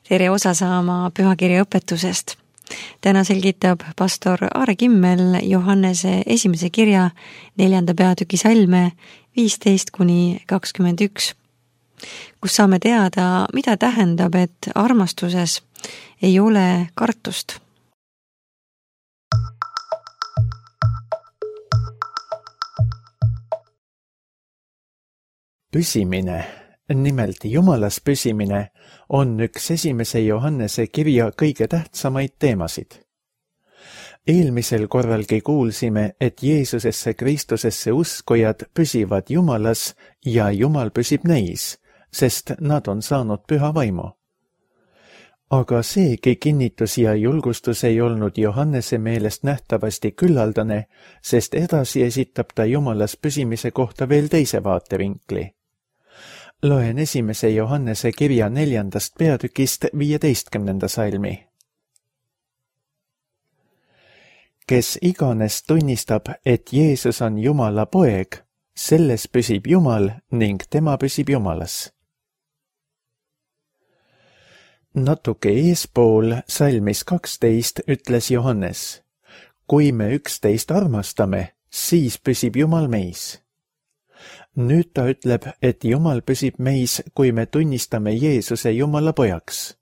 Tere osa saama pühakirja õpetusest. Täna selgitab pastor Aare Kimmel Johannese esimese kirja 4. peatüki salme 15-21, kus saame teada, mida tähendab, et armastuses ei ole kartust. Püsimine, nimelt Jumalas püsimine, on üks esimese Johannese kirja kõige tähtsamaid teemasid. Eelmisel korralgi kuulsime, et Jeesusesse Kristusesse uskujad püsivad Jumalas ja Jumal püsib neis, sest nad on saanud püha vaimu. Aga seegi kinnitus ja julgustus ei olnud Johannese meelest nähtavasti küllaldane, sest edasi esitab ta Jumalas püsimise kohta veel teise vaatevinkli. Loen esimese Johannese kirja 4. peatükist 15. salmi. Kes iganes tunnistab, et Jeesus on Jumala poeg, selles püsib Jumal ning tema püsib Jumalas. Natuke eespool salmis 12 ütles Johannes: kui me üksteist armastame, siis püsib Jumal meis. Nüüd ta ütleb, et Jumal püsib meis, kui me tunnistame Jeesuse Jumala pojaks.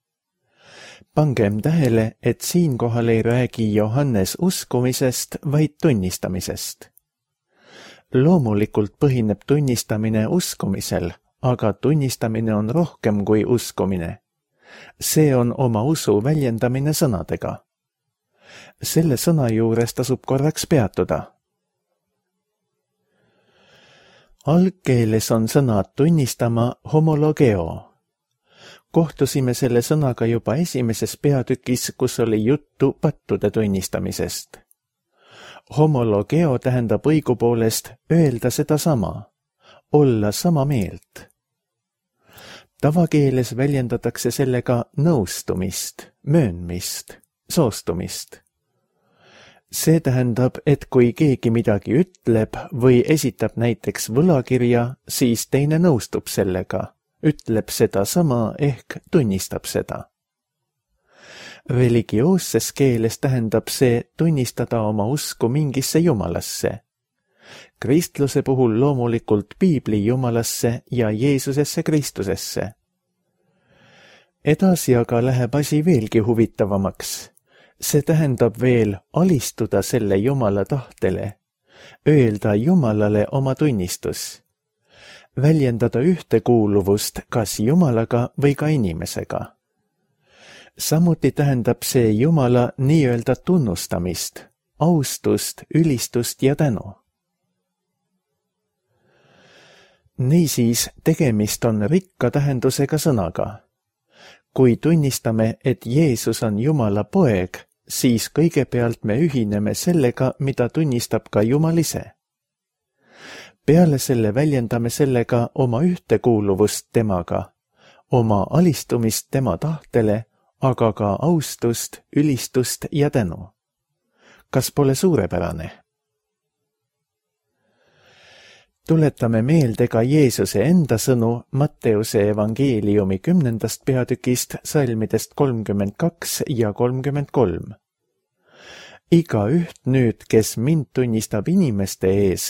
Pangem tähele, et siinkohal ei räägi Johannes uskumisest, vaid tunnistamisest. Loomulikult põhineb tunnistamine uskumisel, aga tunnistamine on rohkem kui uskumine. See on oma usu väljendamine sõnadega. Selle sõna juures tasub korraks peatuda. Algkeeles on sõna tunnistama homologeo. Kohtusime selle sõnaga juba esimeses peatükis, kus oli juttu pattude tunnistamisest. Homologeo tähendab õigupoolest öelda sedasama, olla sama meelt. Tavakeeles väljendatakse sellega nõustumist, möönmist, soostumist. See tähendab, et kui keegi midagi ütleb või esitab näiteks võlakirja, siis teine nõustub sellega, ütleb seda sama ehk tunnistab seda. Religioosses keeles tähendab see tunnistada oma usku mingisse Jumalasse. Kristluse puhul loomulikult Piibli Jumalasse ja Jeesusesse Kristusesse. Edasi aga läheb asi veelgi huvitavamaks. See tähendab veel alistuda selle Jumala tahtele, öelda Jumalale oma tunnistus, väljendada ühtekuuluvust kas Jumalaga või ka inimesega. Samuti tähendab see Jumala nii-öelda tunnustamist, austust, ülistust ja tänu. Niisiis, tegemist on rikka tähendusega sõnaga. Kui tunnistame, et Jeesus on Jumala poeg, siis kõigepealt me ühineme sellega, mida tunnistab ka Jumal ise. Peale selle väljendame sellega oma ühtekuuluvust temaga, oma alistumist tema tahtele, aga ka austust, ülistust ja tänu. Kas pole suurepärane? Tuletame meelde ka Jeesuse enda sõnu Matteuse evangeeliumi 10. peatükist salmidest 32 ja 33. Igaüht nüüd, kes mind tunnistab inimeste ees,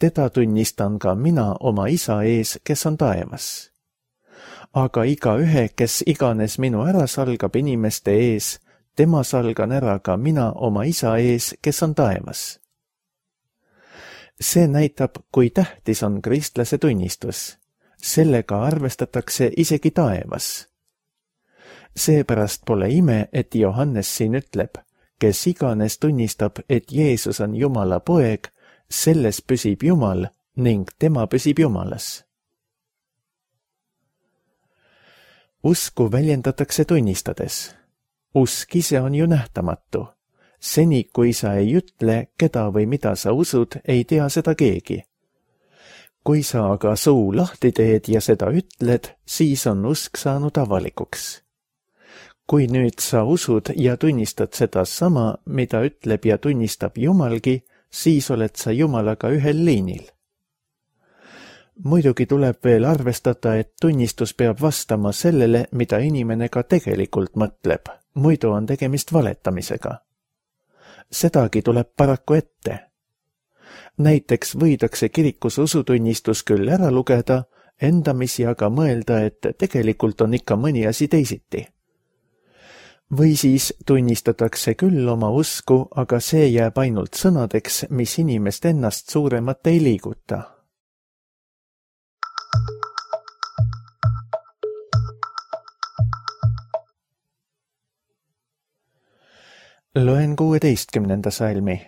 teda tunnistan ka mina oma isa ees, kes on taevas. Aga igaühe, kes iganes minu ära salgab inimeste ees, tema salgan ära ka mina oma isa ees, kes on taevas. See näitab, kui tähtis on kristlase tunnistus. Sellega arvestatakse isegi taevas. Seepärast pole ime, et Johannes siin ütleb, kes iganes tunnistab, et Jeesus on Jumala poeg, selles püsib Jumal ning tema püsib Jumalas. Usku väljendatakse tunnistades. Usk ise on ju nähtamatu. Seni, kui sa ei ütle, keda või mida sa usud, ei tea seda keegi. Kui sa aga suu lahti teed ja seda ütled, siis on usk saanud avalikuks. Kui nüüd sa usud ja tunnistad seda sama, mida ütleb ja tunnistab Jumalgi, siis oled sa Jumalaga ühel liinil. Muidugi tuleb veel arvestada, et tunnistus peab vastama sellele, mida inimene ka tegelikult mõtleb, muidu on tegemist valetamisega. Sedagi tuleb paraku ette. Näiteks võidakse kirikus usutunnistus küll ära lugeda, endamisi aga mõelda, et tegelikult on ikka mõni asi teisiti. Või siis tunnistatakse küll oma usku, aga see jääb ainult sõnadeks, mis inimest ennast suuremat ei liiguta. Loen 16. salmi.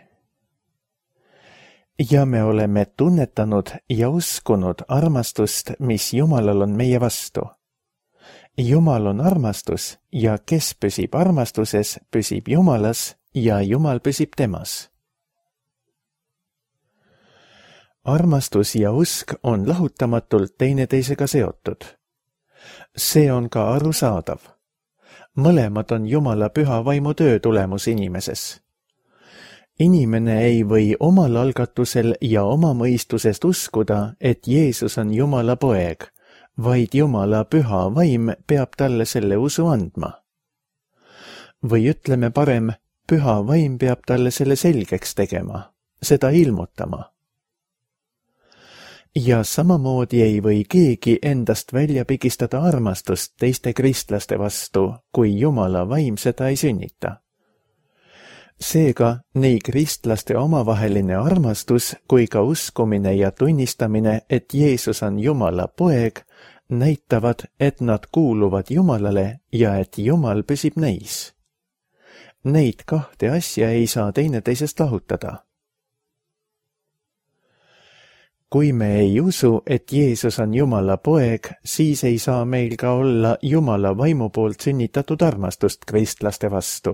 Ja me oleme tunnetanud ja uskunud armastust, mis Jumalal on meie vastu. Jumal on armastus ja kes püsib armastuses, püsib Jumalas ja Jumal püsib temas. Armastus ja usk on lahutamatult teineteisega seotud. See on ka arusaadav. Mõlemad on Jumala püha vaimu töö tulemus inimeses. Inimene ei või omal algatusel ja oma mõistusest uskuda, et Jeesus on Jumala poeg, vaid Jumala püha vaim peab talle selle usu andma. Või ütleme parem, püha vaim peab talle selle selgeks tegema, seda ilmutama. Ja samamoodi ei või keegi endast välja pigistada armastust teiste kristlaste vastu, kui Jumala vaim seda ei sünnita. Seega, nii kristlaste omavaheline armastus kui ka uskumine ja tunnistamine, et Jeesus on Jumala poeg, näitavad, et nad kuuluvad Jumalale ja et Jumal püsib neis. Neid kahte asja ei saa teineteisest lahutada. Kui me ei usu, et Jeesus on Jumala poeg, siis ei saa meil ka olla Jumala vaimu poolt sünnitatud armastust kristlaste vastu.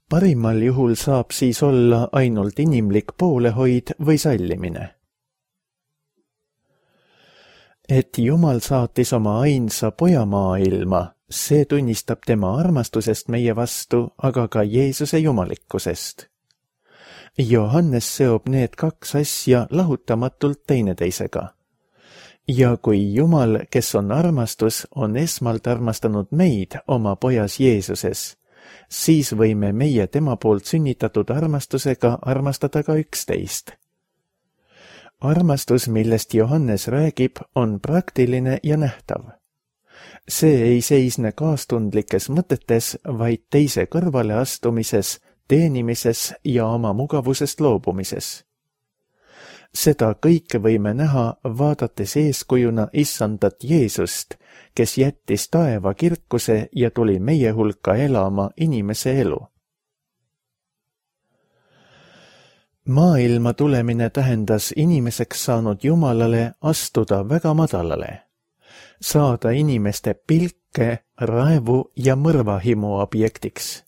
Parimal juhul saab siis olla ainult inimlik poolehoid või sallimine. Et Jumal saatis oma ainsa poja maailma, see tunnistab tema armastusest meie vastu, aga ka Jeesuse jumalikkusest. Johannes seob need kaks asja lahutamatult teineteisega. Ja kui Jumal, kes on armastus, on esmalt armastanud meid oma pojas Jeesuses, siis võime meie tema poolt sünnitatud armastusega armastada ka üksteist. Armastus, millest Johannes räägib, on praktiline ja nähtav. See ei seisne kaastundlikes mõtetes, vaid teise kõrvale astumises, teenimises ja oma mugavusest loobumises. Seda kõike võime näha, vaadates eeskujuna issandat Jeesust, kes jättis taeva kirkuse ja tuli meie hulka elama inimese elu. Maailma tulemine tähendas inimeseks saanud Jumalale astuda väga madalale, saada inimeste pilke, raevu ja mõrvahimu objektiks.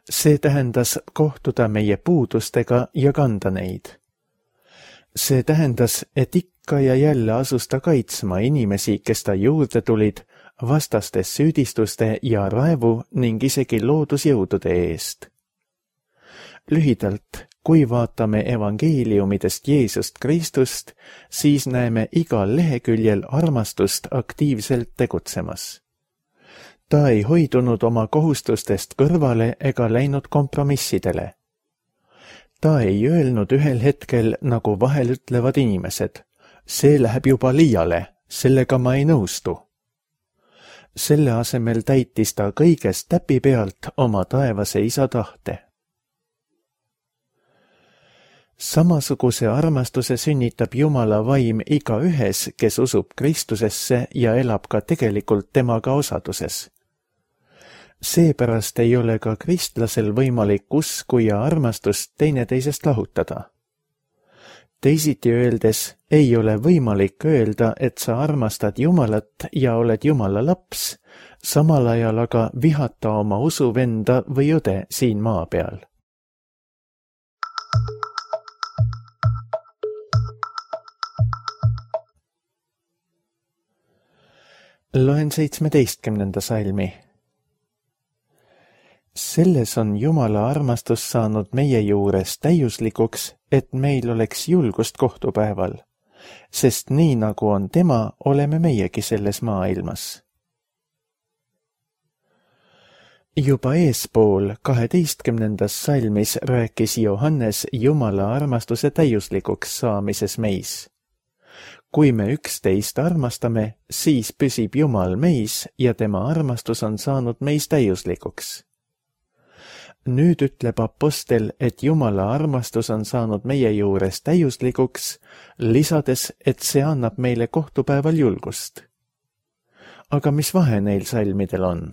See tähendas kohtuda meie puudustega ja kanda neid. See tähendas, et ikka ja jälle asus ta kaitsma inimesi, kes ta juurde tulid, vastastes süüdistuste ja raevu ning isegi loodusjõudude eest. Lühidalt, kui vaatame evangeeliumidest Jeesust Kristust, siis näeme igal leheküljel armastust aktiivselt tegutsemas. Ta ei hoidunud oma kohustustest kõrvale ega läinud kompromissidele. Ta ei öelnud ühel hetkel, nagu vahel ütlevad inimesed, see läheb juba liiale, sellega ma ei nõustu. Selle asemel täitis ta kõigest täpi pealt oma taevase isa tahte. Samasuguse armastuse sünnitab Jumala vaim igaühes, kes usub Kristusesse ja elab ka tegelikult temaga osaduses. Seepärast ei ole ka kristlasel võimalik usku ja armastust teineteisest lahutada. Teisiti öeldes ei ole võimalik öelda, et sa armastad Jumalat ja oled Jumala laps, samal ajal aga vihata oma usuvenda või õde siin maa peal. Loen 17. salmi. Selles on Jumala armastus saanud meie juures täiuslikuks, et meil oleks julgust kohtupäeval, sest nii nagu on tema, oleme meiegi selles maailmas. Juba eespool 12. salmis rääkis Johannes Jumala armastuse täiuslikuks saamises meis. Kui me üksteist armastame, siis püsib Jumal meis ja tema armastus on saanud meis täiuslikuks. Nüüd ütleb apostel, et Jumala armastus on saanud meie juures täiuslikuks, lisades, et see annab meile kohtupäeval julgust. Aga mis vahe neil salmidel on?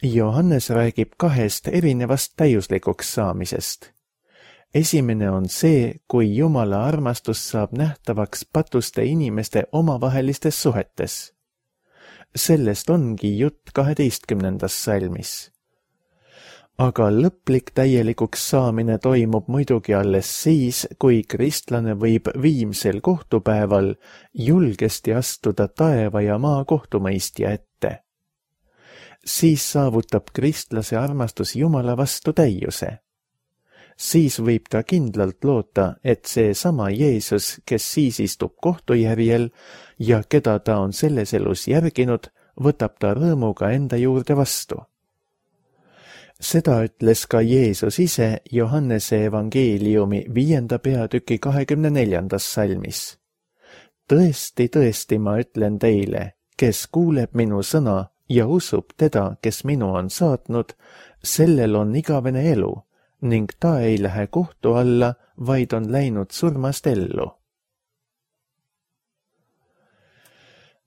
Johannes räägib kahest erinevast täiuslikuks saamisest. Esimene on see, kui Jumala armastus saab nähtavaks patuste inimeste omavahelistes suhetes. Sellest ongi jutt 12. salmis. Aga lõplik täielikuks saamine toimub muidugi alles siis, kui kristlane võib viimsel kohtupäeval julgesti astuda taeva ja maa kohtumõistja ette. Siis saavutab kristlase armastus Jumala vastu täiuse. Siis võib ta kindlalt loota, et see sama Jeesus, kes siis istub kohtujärjel ja keda ta on selles elus järginud, võtab ta rõõmuga enda juurde vastu. Seda ütles ka Jeesus ise Johannese evangeeliumi 5. peatüki 24. salmis. Tõesti, tõesti, ma ütlen teile, kes kuuleb minu sõna ja usub teda, kes minu on saatnud, sellel on igavene elu, ning ta ei lähe kohtu alla, vaid on läinud surmast ellu.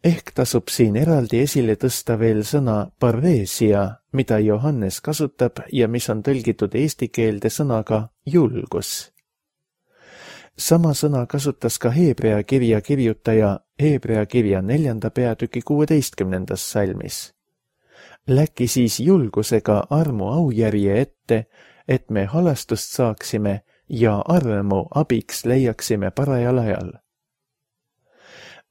Ehk tasub siin eraldi esile tõsta veel sõna parreesia, mida Johannes kasutab ja mis on tõlgitud eesti keelde sõnaga julgus. Sama sõna kasutas ka Hebrea kirja kirjutaja Hebrea kirja 4. peatüki 16. salmis. Läki siis julgusega armu aujärje ette, et me halastust saaksime ja armu abiks leiaksime parajal ajal.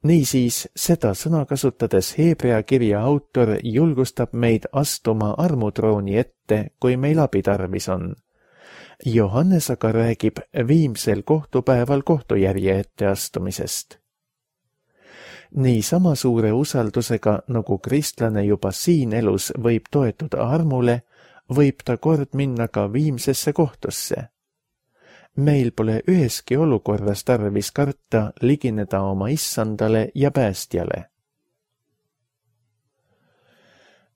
Niisiis, seda sõna kasutades Hebrea kirja autor julgustab meid astuma armutrooni ette, kui meil abi tarvis on. Johannes aga räägib viimsel kohtupäeval kohtujärje ette astumisest. Nii sama suure usaldusega, nagu kristlane juba siin elus võib toetuda armule, võib ta kord minna ka viimsesse kohtusse. Meil pole üheski olukorras tarvis karta ligineda oma issandale ja päästjale.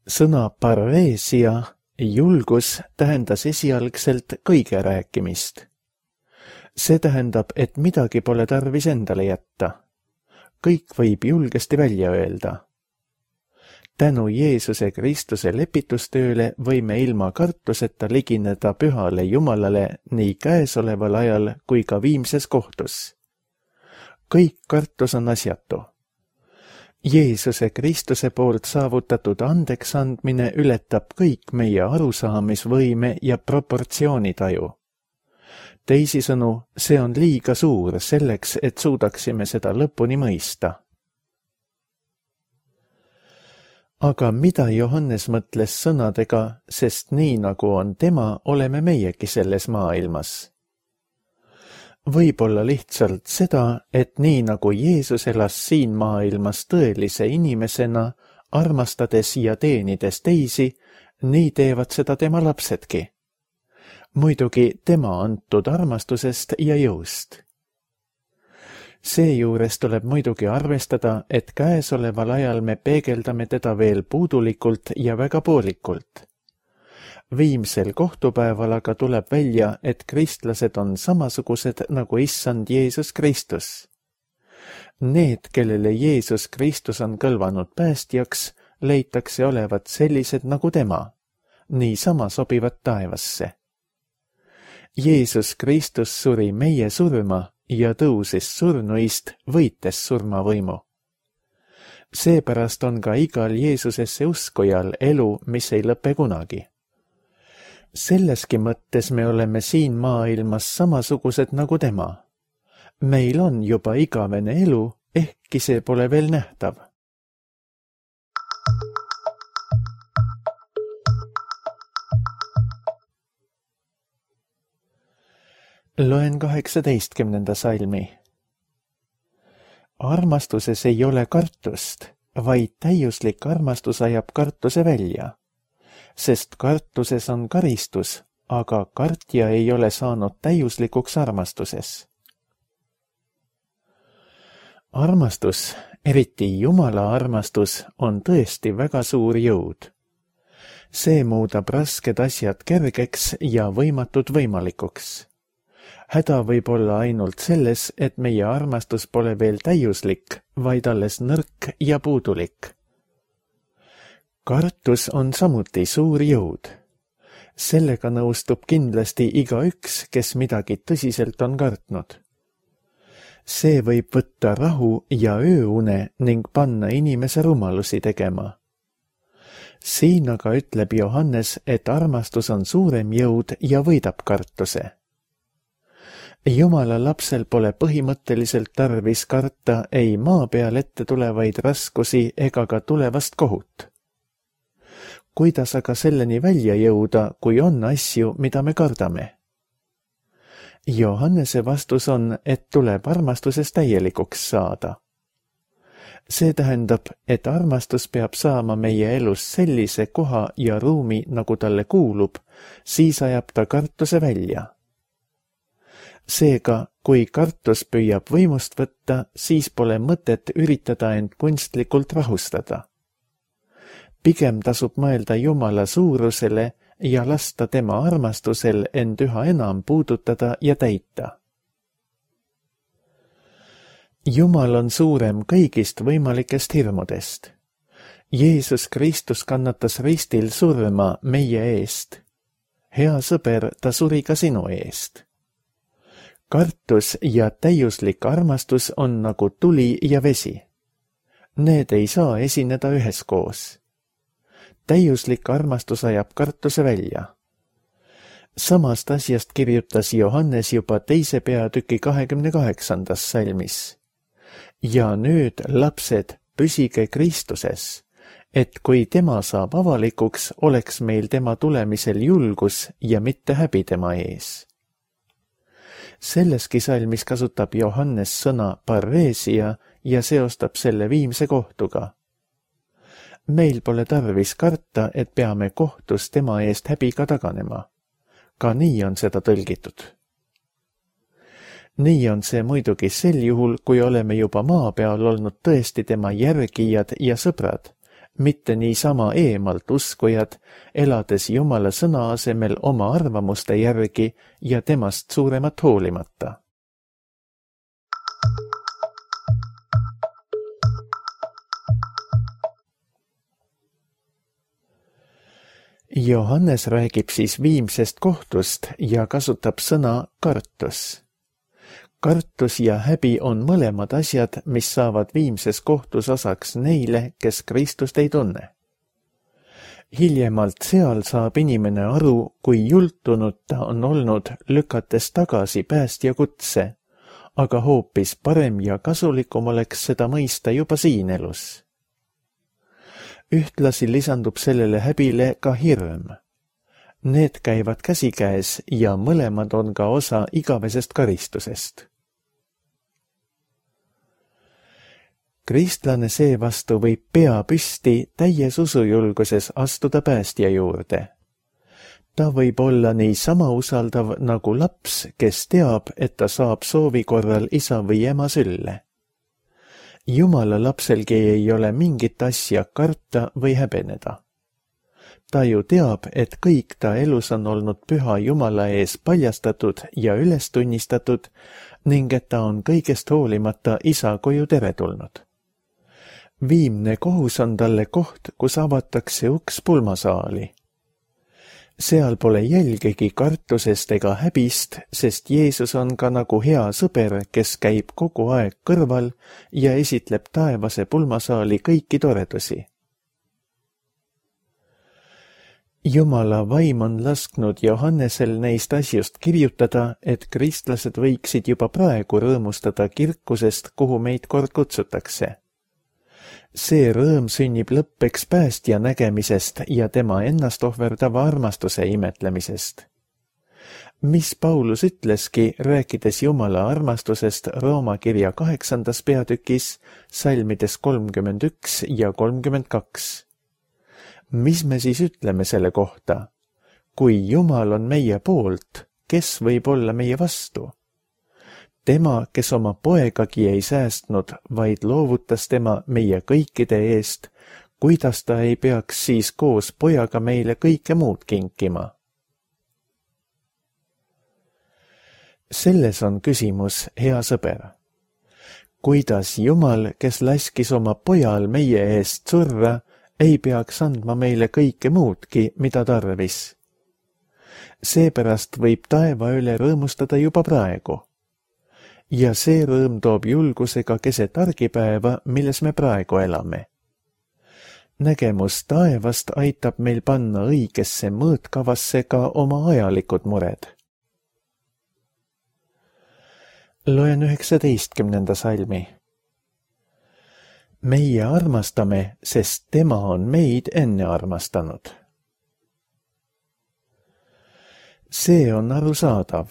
Sõna parreesia, julgus, tähendas esialgselt kõige rääkimist. See tähendab, et midagi pole tarvis endale jätta. Kõik võib julgesti välja öelda. Tänu Jeesuse Kristuse lepitustööle võime ilma kartuseta ligineda pühale Jumalale nii käesoleval ajal kui ka viimses kohtus. Kõik kartus on asjatu. Jeesuse Kristuse poolt saavutatud andeks andmine ületab kõik meie arusaamisvõime ja proportsioonitaju. Teisisõnu, see on liiga suur selleks, et suudaksime seda lõpuni mõista. Aga mida Johannes mõtles sõnadega, sest nii nagu on tema, oleme meiegi selles maailmas? Võib-olla lihtsalt seda, et nii nagu Jeesus elas siin maailmas tõelise inimesena, armastades ja teenides teisi, nii teevad seda tema lapsedki. Muidugi tema antud armastusest ja jõust. Seejuures tuleb muidugi arvestada, et käesoleval ajal me peegeldame teda veel puudulikult ja väga poolikult. Viimsel kohtupäeval aga tuleb välja, et kristlased on samasugused nagu issand Jeesus Kristus. Need, kellele Jeesus Kristus on kõlvanud päästjaks, leitakse olevat sellised nagu tema, niisama sobivad taevasse. Jeesus Kristus suri meie surma ja tõusis surnuist, võites surmavõimu. Seepärast on ka igal Jeesusesse uskujal elu, mis ei lõpe kunagi. Selleski mõttes me oleme siin maailmas samasugused nagu tema. Meil on juba igavene elu, ehkki see pole veel nähtav. Loen 18. salmi. Armastuses ei ole kartust, vaid täiuslik armastus ajab kartuse välja, sest kartuses on karistus, aga kartja ei ole saanud täiuslikuks armastuses. Armastus, eriti Jumala armastus, on tõesti väga suur jõud. See muudab rasked asjad kergeks ja võimatud võimalikuks. Häda võib olla ainult selles, et meie armastus pole veel täiuslik, vaid alles nõrk ja puudulik. Kartus on samuti suur jõud. Sellega nõustub kindlasti igaüks, kes midagi tõsiselt on kartnud. See võib võtta rahu ja ööune ning panna inimese rumalusi tegema. Siin aga ütleb Johannes, et armastus on suurem jõud ja võidab kartuse. Jumala lapsel pole põhimõtteliselt tarvis karta ei maa peal ette tulevaid raskusi ega ka tulevast kohut. Kuidas aga selleni välja jõuda, kui on asju, mida me kardame? Johannese vastus on, et tuleb armastuses täielikuks saada. See tähendab, et armastus peab saama meie elus sellise koha ja ruumi, nagu talle kuulub, siis ajab ta kartuse välja. Seega, kui kartus püüab võimust võtta, siis pole mõtet üritada end kunstlikult rahustada. Pigem tasub mõelda Jumala suurusele ja lasta tema armastusel end üha enam puudutada ja täita. Jumal on suurem kõigist võimalikest hirmudest. Jeesus Kristus kannatas ristil surma meie eest. Hea sõber, ta suri ka sinu eest. Kartus ja täiuslik armastus on nagu tuli ja vesi. Need ei saa esineda üheskoos. Täiuslik armastus ajab kartuse välja. Samast asjast kirjutas Johannes juba 2. peatüki 28. salmis. Ja nüüd, lapsed, püsige Kristuses, et kui tema saab avalikuks, oleks meil tema tulemisel julgus ja mitte häbi tema ees. Selleski salmis kasutab Johannes sõna parreesia ja seostab selle viimse kohtuga. Meil pole tarvis karta, et peame kohtus tema eest häbiga taganema. Ka nii on seda tõlgitud. Nii on see muidugi sel juhul, kui oleme juba maa peal olnud tõesti tema järgijad ja sõbrad, mitte niisama eemalt uskujad, elades Jumala sõna asemel oma arvamuste järgi ja temast suuremat hoolimata. Johannes räägib siis viimsest kohtust ja kasutab sõna kartus. Kartus ja häbi on mõlemad asjad, mis saavad viimses kohtus osaks neile, kes Kristust ei tunne. Hiljemalt seal saab inimene aru, kui jultunud ta on olnud, lükates tagasi päästja kutse, aga hoopis parem ja kasulikum oleks seda mõista juba siin elus. Ühtlasi lisandub sellele häbile ka hirm. Need käivad käsikäes ja mõlemad on ka osa igavesest karistusest. Kristlane seevastu võib pea püsti täies usujulguses astuda päästja juurde. Ta võib olla niisama usaldav nagu laps, kes teab, et ta saab soovi korral isa või ema sülle. Jumala lapselgi ei ole mingit asja karta või häbeneda. Ta ju teab, et kõik ta elus on olnud püha Jumala ees paljastatud ja üles tunnistatud ning et ta on kõigest hoolimata isa koju teretulnud. Viimne kohus on talle koht, kus avatakse uks pulmasaali. Seal pole jälgegi kartusest ega häbist, sest Jeesus on ka nagu hea sõber, kes käib kogu aeg kõrval ja esitleb taevase pulmasaali kõiki toredusi. Jumala vaim on lasknud Johannesel neist asjust kirjutada, et kristlased võiksid juba praegu rõõmustada kirkusest, kuhu meid kord kutsutakse. See rõõm sünnib lõppeks päästja nägemisest ja tema ennast ohverdava armastuse imetlemisest. mis Paulus ütleski, rääkides Jumala armastusest Rooma kirja 8. peatükis, salmides 31 ja 32. Mis me siis ütleme selle kohta? Kui Jumal on meie poolt, kes võib olla meie vastu? Tema, kes oma poegagi ei säästnud, vaid loovutas tema meie kõikide eest, kuidas ta ei peaks siis koos pojaga meile kõike muud kinkima? Selles on küsimus, hea sõber. Kuidas Jumal, kes laskis oma pojal meie eest surra, ei peaks andma meile kõike muudki, mida tarvis? Seepärast võib taeva üle rõõmustada juba praegu. Ja see rõõm toob julgusega keset argipäeva, milles me praegu elame. Nägemus taevast aitab meil panna õigesse mõõtkavasse ka oma ajalikud mured. Loen 19. salmi. Meie armastame, sest tema on meid enne armastanud. See on arusaadav.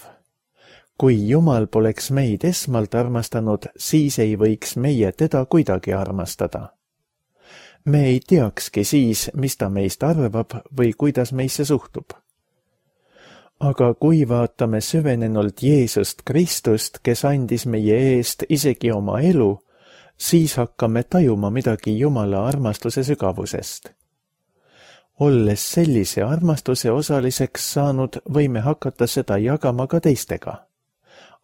Kui Jumal poleks meid esmalt armastanud, siis ei võiks meie teda kuidagi armastada. Me ei teakski siis, mis ta meist arvab või kuidas meisse suhtub. Aga kui vaatame süvenenult Jeesust Kristust, kes andis meie eest isegi oma elu, siis hakkame tajuma midagi Jumala armastuse sügavusest. Olles sellise armastuse osaliseks saanud, võime hakata seda jagama ka teistega.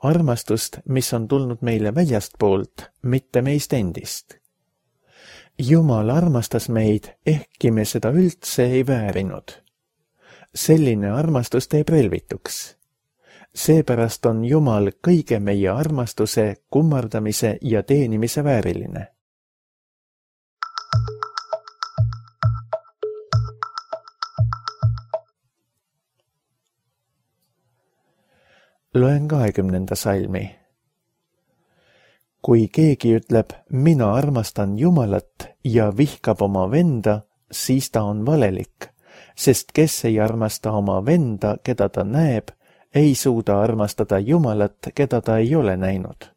Armastust, mis on tulnud meile väljastpoolt, mitte meist endist. Jumal armastas meid, ehkki me seda üldse ei väärinud. Selline armastus teeb relvituks. Seepärast on Jumal kõige meie armastuse, kummardamise ja teenimise vääriline. Loen 20. salmi. Kui keegi ütleb, mina armastan Jumalat ja vihkab oma venda, siis ta on valelik, sest kes ei armasta oma venda, keda ta näeb, ei suuda armastada Jumalat, keda ta ei ole näinud.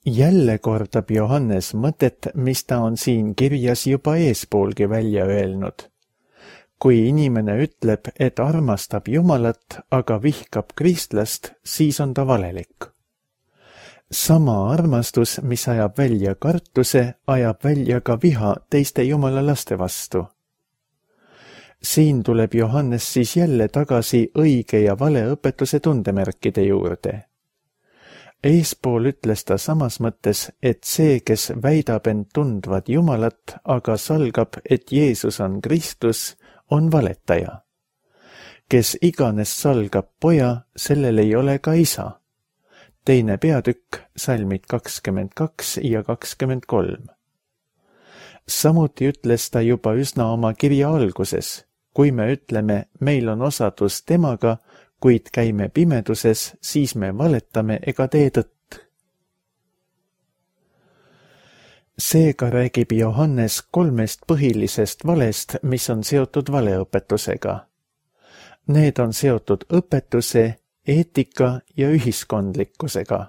Jälle kordab Johannes mõtet, mis ta on siin kirjas juba eespoolgi välja öelnud. Kui inimene ütleb, et armastab Jumalat, aga vihkab kristlast, siis on ta valelik. Sama armastus, mis ajab välja kartuse, ajab välja ka viha teiste Jumala laste vastu. Siin tuleb Johannes siis jälle tagasi õige ja vale õpetuse tundemärkide juurde. Eespool ütles ta samas mõttes, et see, kes väidab end tundvat Jumalat, aga salgab, et Jeesus on Kristus, on valetaja. Kes iganes salgab poja, sellel ei ole ka isa. 2. peatükk, salmid 22 ja 23. Samuti ütles ta juba üsna oma kirja alguses, kui me ütleme, meil on osadus temaga, kuid käime pimeduses, siis me valetame ega tee tõtt. Seega räägib Johannes 3 põhilisest valest, mis on seotud valeõpetusega. Need on seotud õpetuse, eetika ja ühiskondlikkusega.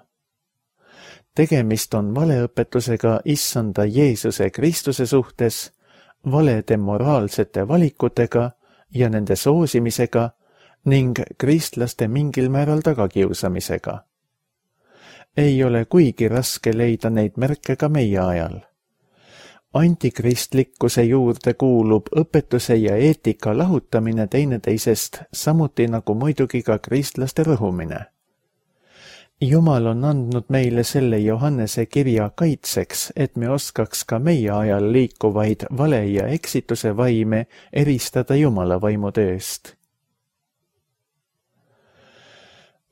Tegemist on valeõpetusega issanda Jeesuse Kristuse suhtes, valede moraalsete valikutega ja nende soosimisega ning kristlaste mingil määral tagakiusamisega. Ei ole kuigi raske leida neid märke ka meie ajal. Antikristlikkuse juurde kuulub õpetuse ja eetika lahutamine teineteisest, samuti nagu muidugi ka kristlaste rõhumine. Jumal on andnud meile selle Johannese kirja kaitseks, et me oskaks ka meie ajal liikuvaid vale ja eksituse vaime eristada Jumala vaimu tööst.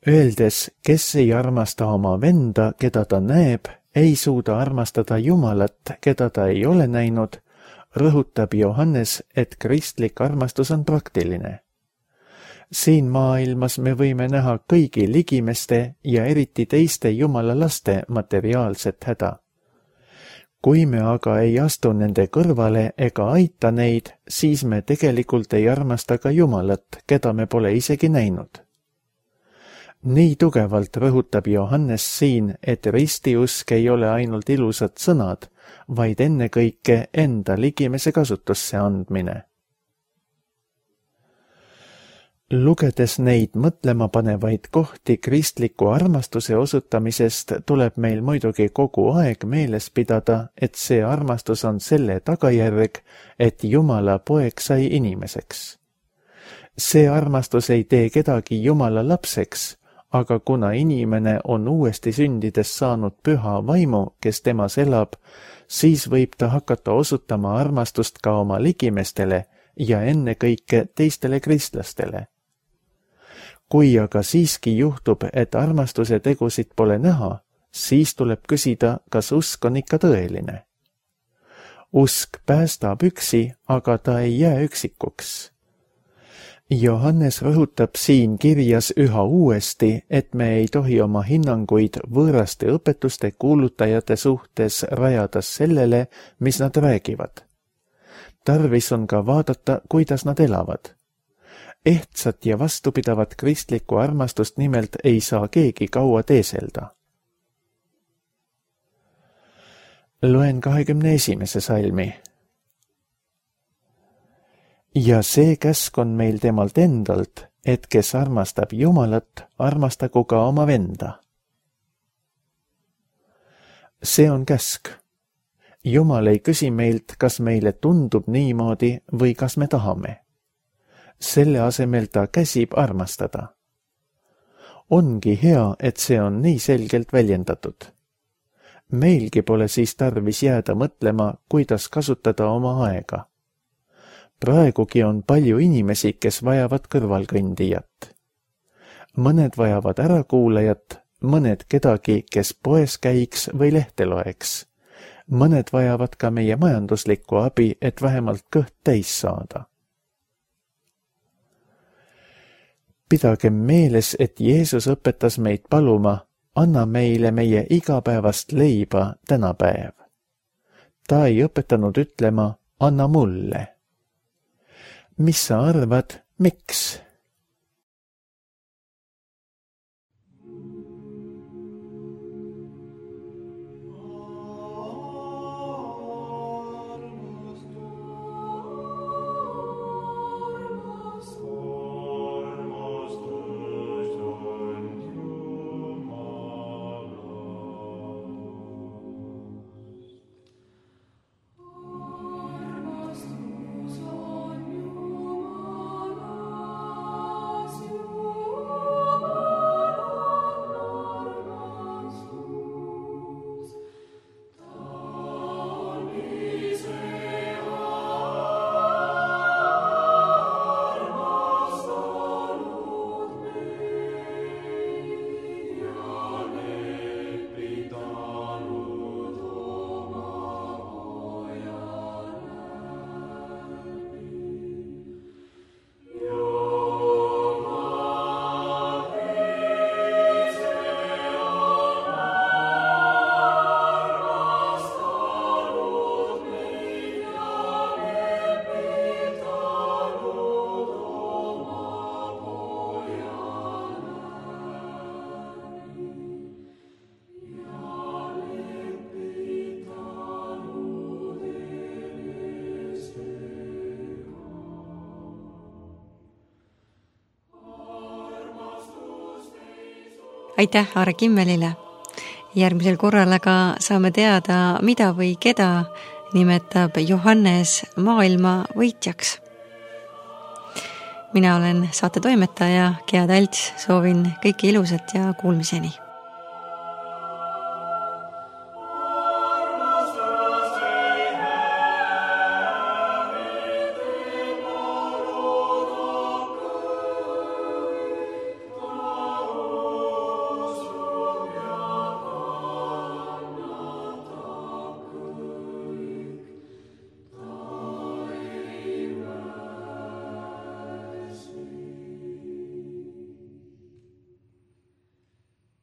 Öeldes, kes ei armasta oma venda, keda ta näeb, ei suuda armastada Jumalat, keda ta ei ole näinud, rõhutab Johannes, et kristlik armastus on praktiline. Siin maailmas me võime näha kõigi ligimeste ja eriti teiste Jumala laste materiaalset häda. Kui me aga ei astu nende kõrvale ega aita neid, siis me tegelikult ei armasta ka Jumalat, keda me pole isegi näinud. Nii tugevalt rõhutab Johannes siin, et ristiusk ei ole ainult ilusad sõnad, vaid ennekõike enda ligimese kasutusse andmine. Lugedes neid mõtlemapanevaid kohti kristliku armastuse osutamisest, tuleb meil muidugi kogu aeg meeles pidada, et see armastus on selle tagajärg, et Jumala poeg sai inimeseks. See armastus ei tee kedagi Jumala lapseks, aga kuna inimene on uuesti sündides saanud püha vaimu, kes temas elab, siis võib ta hakata osutama armastust ka oma ligimestele ja ennekõike teistele kristlastele. Kui aga siiski juhtub, et armastuse tegusid pole näha, siis tuleb küsida, kas usk on ikka tõeline. Usk päästab üksi, aga ta ei jää üksikuks. Johannes rõhutab siin kirjas üha uuesti, et me ei tohi oma hinnanguid võõraste õpetuste kuulutajate suhtes rajada sellele, mis nad räägivad. Tarvis on ka vaadata, kuidas nad elavad. Ehtsat ja vastupidavat kristlikku armastust nimelt ei saa keegi kaua teeselda. Loen 21. salmi. Ja see käsk on meil temalt endalt, et kes armastab Jumalat, armastagu ka oma venda. See on käsk. Jumal ei küsi meilt, kas meile tundub niimoodi või kas me tahame. Selle asemel ta käsib armastada. Ongi hea, et see on nii selgelt väljendatud. Meilgi pole siis tarvis jääda mõtlema, kuidas kasutada oma aega. Praegugi on palju inimesi, kes vajavad kõrvalkõndijat. Mõned vajavad ärakuulajat, mõned kedagi, kes poes käiks või lehte loeks. Mõned vajavad ka meie majanduslikku abi, et vähemalt kõht täis saada. Pidagem meeles, et Jeesus õpetas meid paluma, anna meile meie igapäevast leiba tänapäev. Ta ei õpetanud ütlema, anna mulle. Mis sa arvad, miks? Aitäh Aare Kimmelile. Järgmisel korral aga saame teada, mida või keda nimetab Johannes maailma võitjaks. Mina olen saate toimetaja Gea Talts, soovin kõike ilusat ja kuulmiseni.